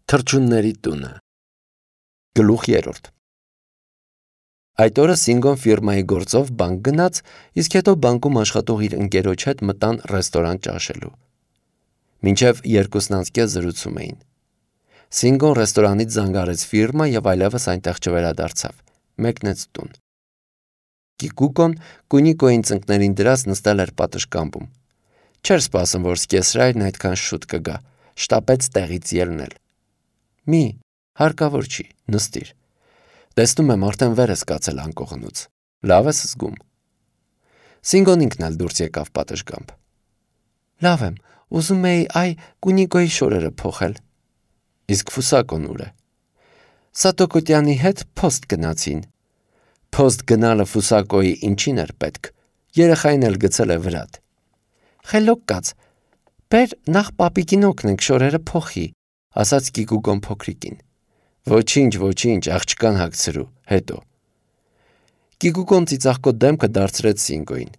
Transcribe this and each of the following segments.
Թռչունների տունը։ Գլուխ 3 Այդ օրը Սինգոն ֆիրմայի գործով բանկ գնաց, իսկ հետո բանկում աշխատող իր ընկերոջ հետ մտան ռեստորան ճաշելու։ Մինչև 2:30 զրուցում էին։ Սինգոն ռեստորանից զանգարեց ֆիրմա եւ այլևս այնտեղ չվերադարձավ։ Մեկնեց տուն։ Կիկուկոն Կունիկոյին ծնկներին դրած նստել էր պատշգամբում։ Չէր սպասում, որ սկեսրայրն այդքան շուտ կգա, շտապեց տեղից ելնել։ Մի, հարկավոր չի, նստիր։ Տեսնում եմ, արդեն վեր ես կացել անկողնուց։ Լավ ես զգում։ Սինգոն ինքն էլ դուրս եկավ պատշգամբ։ Լավ եմ, ուզում էի Կունիկոյի շորերը փոխել։ Իսկ Ֆուսակոն ուր է։ Սատոկոտյանի հետ փոստ գնացին։ Փոստ գնալը Ֆուսակոյի ինչին էր պետք։ Երեխային էլ գցել է վրատ։ Խելոք կաց, բեր նախ պապիկին օգնենք շորերը փոխի, ասաց Կիկուկոն փոքրիկին։ Ոչինչ, աղջկան հագցրու, հետո։ Կիկուկոն ծիծաղկոտ դեմքը դարձրեց Սինգոյին։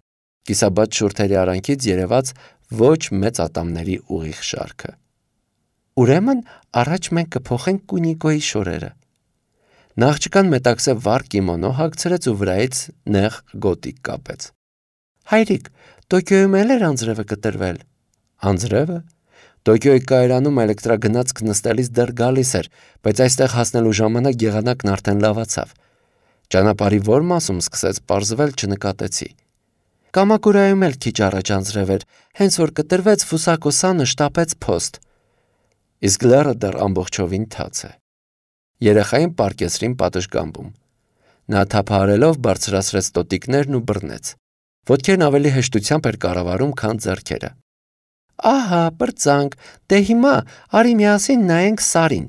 Կիսաբաց շուրթերի արանքից երևաց ոչ մեծ ատամների ուղիղ շարքը։ Ուրեմն առաջ մենք կփոխենք Կունիկոյի շորերը։ Աղջկան մետաքսե վառ կիմոնո հագցրեց ու վրայից նեղ գոտիկ կապեց։ Հայրիկ, Տոկիոյում էլ էր անձրևը կտրվել։ Անձրևը։ Տոկիոյի կայարանում էլեկտրագնացք նստելիս դեռ գալիս էր, բայց այստեղ հասնելու ժամանակ եղանակն արդեն լավացավ։ Ճանապարհի որ մասում սկսեց պարզվել չնկատեցի։ Կամակուրայում էլ քիչ առաջ անձրև էր, հենց որ կտրվեց Ֆուսակո-սանը շտապեց փոստ։ Իսկ լեռը դեռ ամբողջովին թաց է։ Երեխային պարկեսրին պատշգամբում։ Նա թափահարելով բարձրացրեց տոտիկներն ու բռնեց։ Ոտքերն ավելի հեշտությամբ էր կառավարում, քան ձեռքերը։ Ահա, պրծանք, դե հիմա արի միասին նայենք Սարին։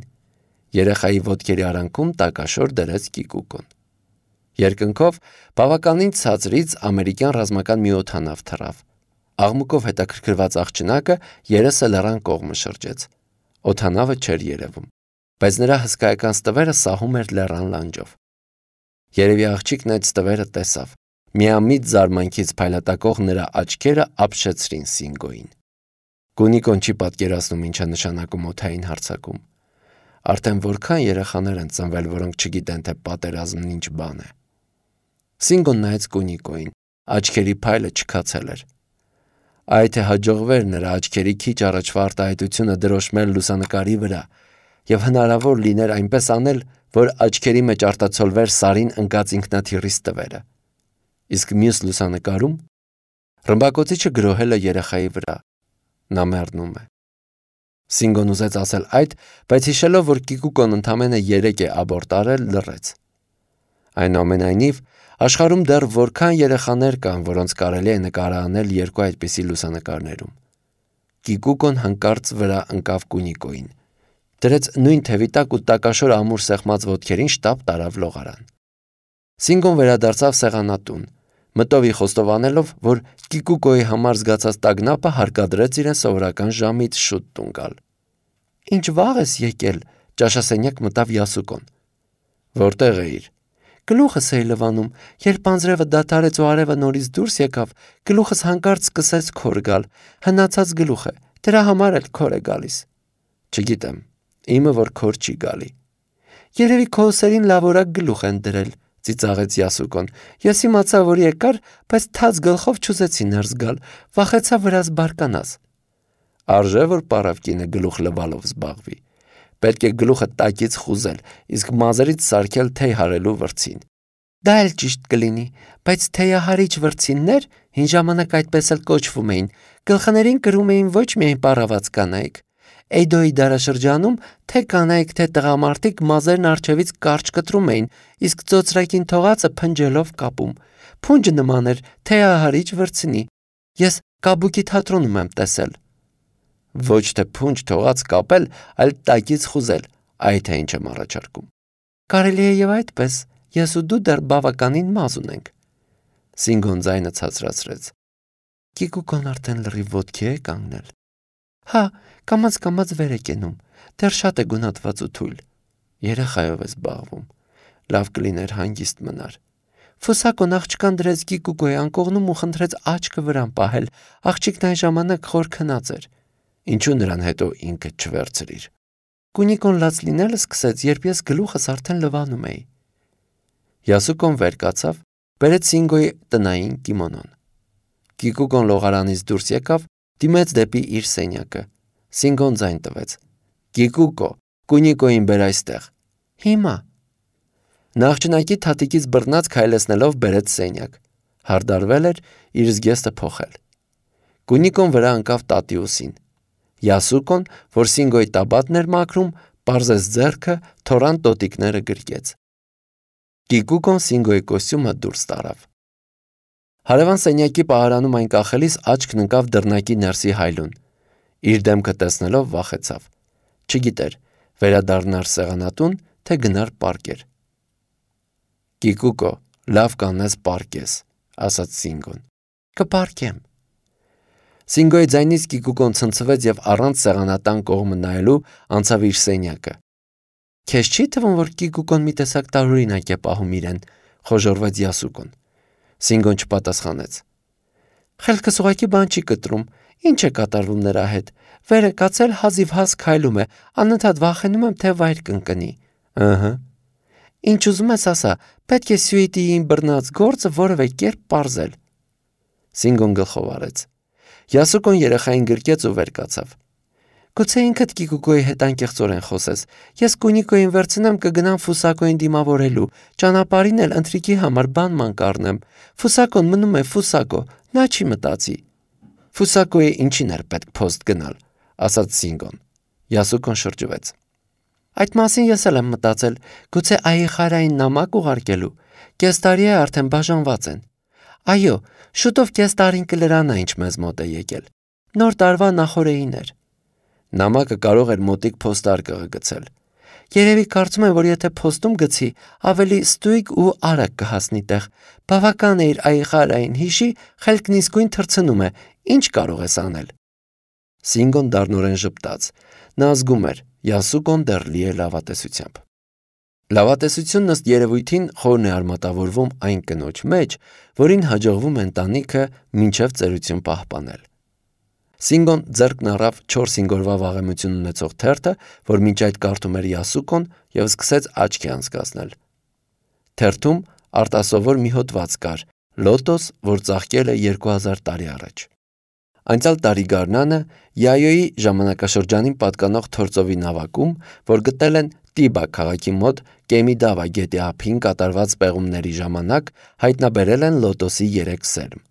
Երեխայի ոտքերի արանքում տակաշոր դրեց Կիկուկոն։ Երկնքով բավականին ցածրից ամերիկյան ռազմական մի օդանավ թռավ։ Աղմուկով հետաքրքրված աղջնակը երեսը լեռան կողմը շրջեց։ Օդանավը չէր երևում, բայց նրա հսկայական ստվերը սահում էր լեռան լանջով։ Երևի աղջիկն այդ ստվերը տեսավ։ Միամիտ զարմանքից փայլատակող նրա աչքերը ապշեցրին Սինգոյին։ Կունիկոն չի պատկերացնում ինչ է նշանակում օդային հարձակում։ Արդեն որքան երեխաներ են ծնվել, որոնք չգիտեն, թե պատերազմն ինչ բան է։ Սինգոն նայեց Կունիկոյին, աչքերի փայլը չքացել էր։ Այ թե հաջողվեր նրա աչքերի քիչ առաջվա արտահայտությունը դրոշմել լուսանկարի վրա, եւ հնարավոր լիներ այնպես անել, որ աչքերի մեջ արտացոլվեր Սարին ընկած ինքնաթիռի ստվերը։ Իսկ մյուս լուսանկարում ռմբակոծիչը գրոհել է երեխայի վրա։ Նա մեռնում է։ Սինգոն ուզեց ասել այդ, բայց հիշելով, որ Կիկուկոն ընդամենը 3 է աբորտ արել, լռեց։ Այնուամենայնիվ, աշխարհում դեռ որքան երեխաներ կան, որոնց կարելի է նկարահանել երկու այդպիսի լուսանկարներում։ Կիկուկոն հանկարծ վրա ընկավ Կունիկոյին։ Դրեց նույն թևի տակ ու տակաշոր ամուր սեղմած ոտքերին շտապ տարավ լողարան։ Սինգոն վերադարձավ սեղանատուն, մտովի խոստովանելով, որ Կիկուկոյի համար զգացած տագնապը հարկադրեց իրեն սովորական ժամից շուտ տուն գալ։ Ինչ վաղ ես եկել, ճաշասենյակ մտավ Յասուկոն։ Որտեղ էիր։ Գլուխս էի լվանում, երբ անձրևը դադարեց ու արևը նորից դուրս եկավ, գլուխս հանկարծ սկսեց քոր գալ, հնացած գլուխ է, դրա համար էլ քոր է գալիս։ Չգիտեմ, իմը որ քոր չի գալի։ Երևի քո ուսերին լավորակ գլուխ են դրել, ծիծաղեց Յասուկոն։ Ես իմացա, որ եկար, բայց թաց գլխով չուզեցի ներս գալ, վախեցա վրաս բարկանաս։ Արժե որ պարավկինը գլուխ լվալով զբաղվի։ Պետք է գլուխը տակից խուզել, իսկ մազերից սարքել թեյ հարելու վրձին։ Դա էլ ճիշտ կլինի, բայց թեյահարիչ վրձիններ հին ժամանակ այդպես էլ կոչվում էին, գլխներին կրում էին ոչ միայն պարաված կանայք։ Էյդոյի դարաշրջանում թե կանայք, թե տղամարդիկ մազերն առջևից կարճ կտրում էին, իսկ ծոծրակին թողածը փնջելով կապում։ Փունջը նման էր թեյահարիչ վրձինի։ Ես Կաբուկի թատրոնում եմ տեսել։ Ոչ թե փունջ թողած կապել, այլ տակից խուզել, այդ է ինչ եմ առաջարկում։ Կարելի է եւ այդպես, ես ու դու դեռ բավականին մազ ունենք։ Սինգոն ձայնը ցածրացրեց։ Կիկուկոն արդեն լրիվ ոտքի է կանգնել։ Հա, կամաց վեր է կենում, դեռ շատ է գունատված ու թույլ։ Երեխայով է զբաղվում։ Լավ կլիներ հանգիստ մնար։ Ֆուսակոն աղջկան դրեց Կիկուկոյի անկողնում ու խնդրեց աչքը վրան պահել, աղջիկն այն ժամանակ խոր քնած էր։ Ինչու նրան հետո ինքը չվերցրիր։ Կունիկոն լաց լինելը սկսեց, երբ ես գլուխս արդեն լվանում էի։ Յասուկոն վեր կացավ, բերեց Սինգոյի տնային կիմոնոն։ Կիկուկոն լողարանից դուրս եկավ, դիմեց դեպի իր սենյակը։ Սինգոն ձայն տվեց. Կիկուկո, Կունիկոին բեր այստեղ։ Հիմա։ Նախճնակի թաթիկից բռնած քայլեցնելով բերեց սենյակ։ Հարդարվել էր իր զգեստը փոխել։ Կունիկոն վրա ընկավ տատիուսին։ Յասուկոն, որ Սինգոյի տաբատն էր մաքրում, պարզեց ձեռքը, թորան տոտիկները գրկեց։ Կիկուկոն Սինգոյի կոստյումը դուրս տարավ։ Հարևան սենյակի պահարանում այն կախելիս աչքն ընկավ դռնակի ներսի հայլուն։ Իր դեմքը տեսնելով վախեցավ։ Չգիտեր, վերադառնար սեղանատուն, թե գնար պարկեր։ Կիկուկո, լավ կանես պարկես, ասաց Սինգոն։ Կպարկեմ։ Սինգոյի ձայնից Կիկուկոն ցնցվեց եւ առանց սեղանատան կողմը նայելու անցավ իր սենյակը։ Քեզ չի թվում, որ Կիկուկոն մի տեսակ տարօրինակ է պահում իրեն, խոժոռվեց Յասուկոն։ Սինգոն չպատասխանեց։ Խելքս ուղղակի բան չի կտրում, ինչ է կատարվում նրա հետ։ Վերը կացել հազիվ հազ քայլում է, անընդհատ վախենում եմ, թե վայր կընկնի։ Ըհը։ Ինչ ուզում ես ասա, պետք է Սյուիտիին բռնած գործը որևէ կերպ պարզել։ Սինգոն գլխով արեց։ Յասուկոն երեխային գրկեց ու վեր կացավ։ Գուցե ինքդ Կիկուկոյի հետ անկեղծորեն խոսես։ Ես Կունիկոյին վերցնեմ կգնամ Ֆուսակոյին դիմավորելու, ճանապարհին էլ ընթրիքի համար բան կառնեմ։ Ֆուսակոն մնում է Ֆուսակո, նա չի մտածի։ Ֆուսակոյի ինչին էր պետք փոստ գնալ, ասաց Սինգոն։ Յասուկոն շրջվեց։ Այդ մասին ես էլ եմ մտածել, գուցե Այխարային նամակ ուղարկելու։ Կես տարի է արդեն բաժանված են։ Այո, շուտով կես տարին կլրանա, ինչ մեզ մոտ է եկել։ Նոր տարվա նախօրեին էր։ Նամակը կարող էր մոտիկ փոստարկղը գցել։ Երևի կարծում եմ, որ եթե փոստում գցի, ավելի ստույգ ու արագ կհասնի տեղ։ Բավական է իր Այխարային հիշի, խելքն իսկույն թռցնում է։ Ինչ կարող ես անել։ Սինգոն դառնորեն ժպտաց։ Նա զգում էր, Յասուկոն դեռ լի է լավատեսությամբ։ Լավատեսությունն ըստ երևույթին խորն է արմատավորվում այն կնոջ մեջ, որին հաջողվում է ընտանիքը մինչև ծերություն պահպանել։ Սինգոն ձեռքն առավ 4-5 օրվա վաղեմություն ունեցող թերթը, որ մինչ այդ կարդում էր Յասուկոն, եւ սկսեց աչքի անցկացնել։ Թերթում արտասովոր մի հոդված կար՝ լոտոս, որ ծաղկել է 2000 տարի առաջ։ Անցյալ տարի գարնանը Յայոյի ժամանակաշրջանին պատկանող թործովի նավակում, որ գտել են Տիբա քաղաքի մոտ Կեմիդավա գետի ափին կատարված պեղումների ժամանակ, հայտնաբերել են լոտոսի 3 սերմ։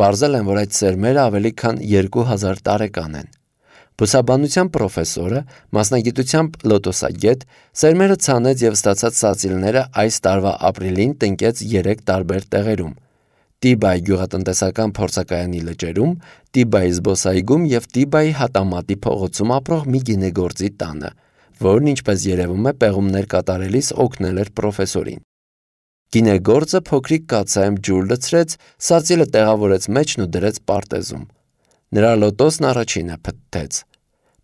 Պարզել են, որ այդ սերմերը ավելի քան 2000 տարեկան են։ Բուսաբանության պրոֆեսորը, մասնագիտությամբ լոտոսագետ, սերմերը ցանեց եւ ստացած սացիլները այս տարվա ապրիլին տնկեց 3 տարբեր տեղերում՝ Տիբայի գյուղատնտեսական փորձակայանի լճերում, Տիբայի զբոսայգում եւ Տիբայի հատամատի փողոցում ապրող մի գինեգործի տանը, որն ինչպես երևում է պեղումներ կատարելիս օգնել էր պրոֆեսորին։ Գինեգործը փոքրիկ կաթսայում ջուր լցրեց, սացիլը տեղավորեց մեջն ու դրեց պարտեզում։ Նրա լոտոսն առաջինը փթթեց։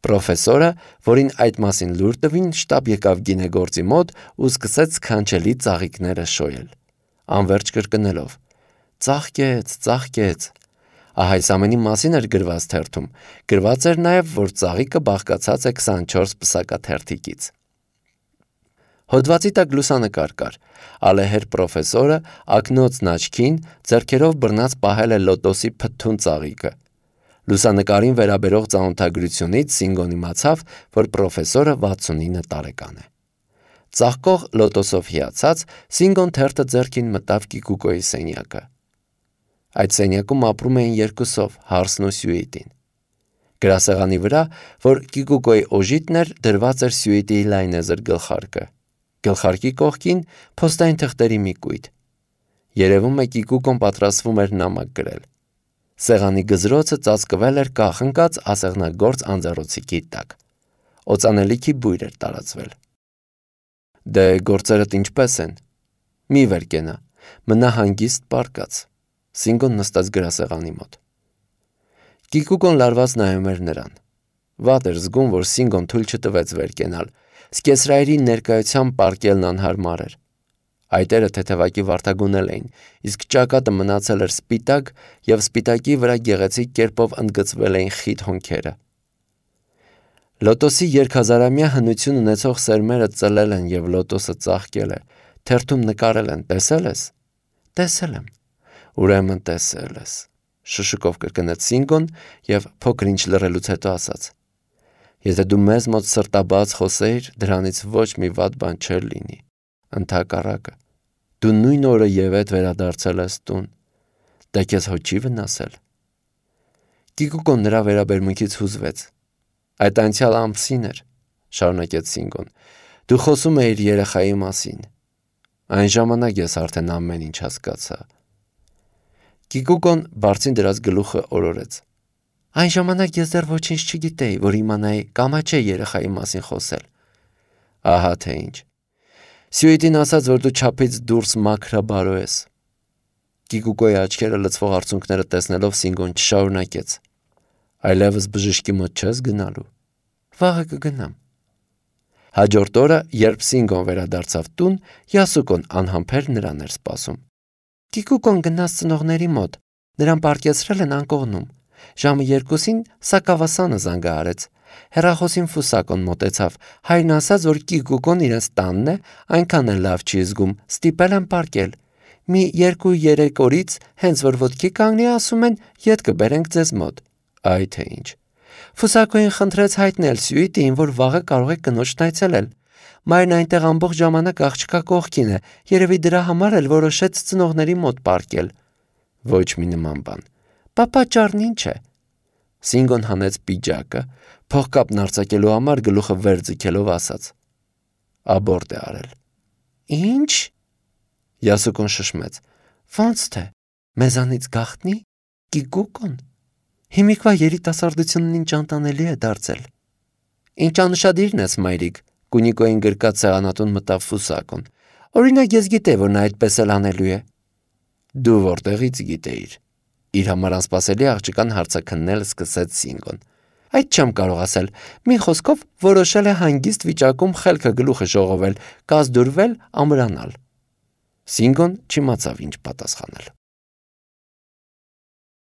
Պրոֆեսորը, որին այդ մասին լուր տվին, շտապ եկավ գինեգործի մոտ ու սկսեց սքանչելի ծաղիկները շոյել, անverջ կրկնելով. Ծաղկեց, ծաղկեց։ Ահա այս ամենի մասին էր գրված թերթում։ Գրված էր նաև, որ ծաղիկը բաղկացած է 24 պսակաթերթիկից։ Հոդվածի տակ լուսանկար կար։ Ալեհեր պրոֆեսորը ակնոցն աչքին ձեռքերով բռնած պահել է լոտոսի փթթուն ծաղիկը։ Լուսանկարին վերաբերող ծանոթագրությունից Սինգոն իմացավ, որ պրոֆեսորը 69 տարեկան է։ Ծաղկող լոտոսով հիացած Սինգոն թերթը ձեռքին մտավ Կիկուկոյի սենյակը։ Այդ սենյակում ապրում էին երկուսով, Հարսն ու Սյուիտին։ Գրասեղանի վրա, որ Կիկուկոյի օժիտն էր, դրված էր Սյուիտիի լայնեզր գլխարկը։ Գլխարկի կողքին փոստային թղթերի մի կույտ։ Երևում է Կիկուկոն պատրաստվում էր նամակ գրել։ Սեղանի գզրոցը ծածկվել էր կախնկած ասեղնագործ անձեռոցիկի տակ։ Օծանելիքի բույր էր տարածվել։ Դե գործերդ ինչպես են։ Մի վեր կենա, մնա հանգիստ պարկած։ Սինգոն նստած գրասեղանի մոտ։ Կիկուկոն լարված նայում էր նրան։ Վատ էր զգում, որ Սինգոն թույլ չտվեց վեր կենալ։ Սկեսրայերի ներկայությամբ պարկելն անհարմար էր։ Այտերը թեթևակի վարդագունել էին, իսկ ճակատը մնացել էր սպիտակ եւ սպիտակի վրա գեղեցիկ կերպով ընդգծվել էին խիտ հոնքերը։ Լոտոսի երկհազարամյա հնություն ունեցող սերմերը ծլել են և լոտոսը ծաղկել է, թերթում նկարել են, տեսել ես։ Տեսել եմ։ Ուրեմն տեսել ես, շշուկով կրկնեց Սինգոն և փոքր ինչ լռելուց հետո ասաց. Եթե դու մեզ մոտ սրտաբաց խոսեիր, դրանից ոչ մի վատ բան չէր լինի։ Ընդհակառակը, դու նույն օրը ևեթ վերադարձել ես տուն։ Դա քեզ հո չի վնասել։ Կիկուկոն նրա վերաբերմունքից հուզվեց։ Այդ անցյալ ամսին էր, շարունակեց Սինգոն, դու խոսում էիր երեխայի մասին։ Այն ժամանակ ես արդեն ամեն ինչ հասկացա։ Կիկուկոն բարձին դրած գլուխը օրորեց։ Այն ժամանակ ես դեռ ոչինչ չգիտեի, որ իմանայի կամ չէ երեխայի մասին խոսել։ Ահա թե ինչ։ Սյուիտին ասաց, որ դու չափից դուրս մաքրաբարո ես։ Կիկուկոյի աչքերը լցվող արցունքները տեսնելով Սինգոն չշարունակեց։ Այլևս բժշկի մոտ չես գնալու։ Վաղը կգնամ։ Հաջորդ օրը, երբ Սինգոն վերադարձավ տուն, Յասուկոն անհամբեր նրան էր սպասում։ Կիկուկոն գնաց ծնողների մոտ, նրան պառկեցրել են անկողնում։ Ժամը 2-ին Սակավասանը զանգահարեց։ Հեռախոսին Ֆուսակոն մոտեցավ։ Հայրն ասաց, որ Կիկուկոն իրենց տանն է, այնքան էլ լավ չի զգում, ստիպել են պառկել։ Մի 2-3 օրից, հենց որ ոտքի կանգնի, ասում են, ետ կբերենք ձեզ մոտ։ Այ թե ինչ։ Ֆուսակոին խնդրեց հայտնել Սյուիտին, որ վաղը կարող է կնոջն այցելել։ Մայրն այնտեղ ամբողջ ժամանակ աղջկա կողքին է, երևի դրա համար էլ որոշեց ծնողների մոտ պառկել։ Ոչ մի նման բան։ Պատճառն ինչ է։ Սինգոն հանեց պիջակը, փողկապն արձակելու համար գլուխը վեր ձգելով ասաց. Աբորտ է արել։ Ինչ։ Յասուկոն շշմեց. Ոնց թե, մեզանից գաղտնի, Կիկուկոն։ Հիմիկվա երիտասարդությունն ինչ անտանելի է դարձել։ Ինչ անուշադիրն ես, մայրիկ, Կունիկոյին գրկած սեղանատուն մտավ Ֆուսակոն։ Օրինակ ես գիտեի, որ նա այդպես էլ անելու է։ Դու որտեղից գիտեիր։ Իր համար անսպասելի աղջկան հարցաքննել սկսեց Սինգոն։ Այդ չեմ կարող ասել։ Մի խոսքով որոշել է հանգիստ վիճակում խելքը գլուխը ժողովել, կազդուրվել, ամրանալ։ Սինգոն չիմացավ ինչ պատասխանել։